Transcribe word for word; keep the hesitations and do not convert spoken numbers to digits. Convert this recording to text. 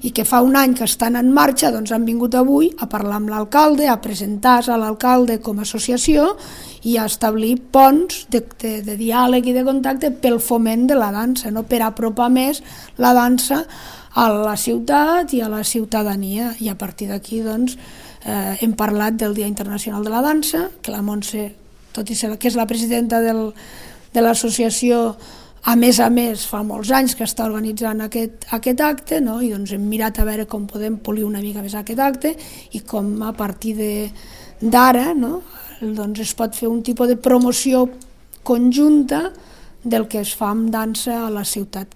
i que fa un any que estan en marxa, doncs han vingut avui a parlar amb l'alcalde, a presentar-se a l'alcalde com a associació i a establir ponts de, de, de diàleg i de contacte pel foment de la dansa, no? Per apropar més la dansa a la ciutat i a la ciutadania. I a partir d'aquí doncs, eh, hem parlat del Dia Internacional de la Dansa, que la Montse, tot i ser que és la presidenta del, de l'associació, a més a més fa molts anys que està organitzant aquest, aquest acte, no? I doncs hem mirat a veure com podem polir una mica més aquest acte i com a partir d'ara, no? Doncs es pot fer un tipus de promoció conjunta del que es fa amb dansa a la ciutat.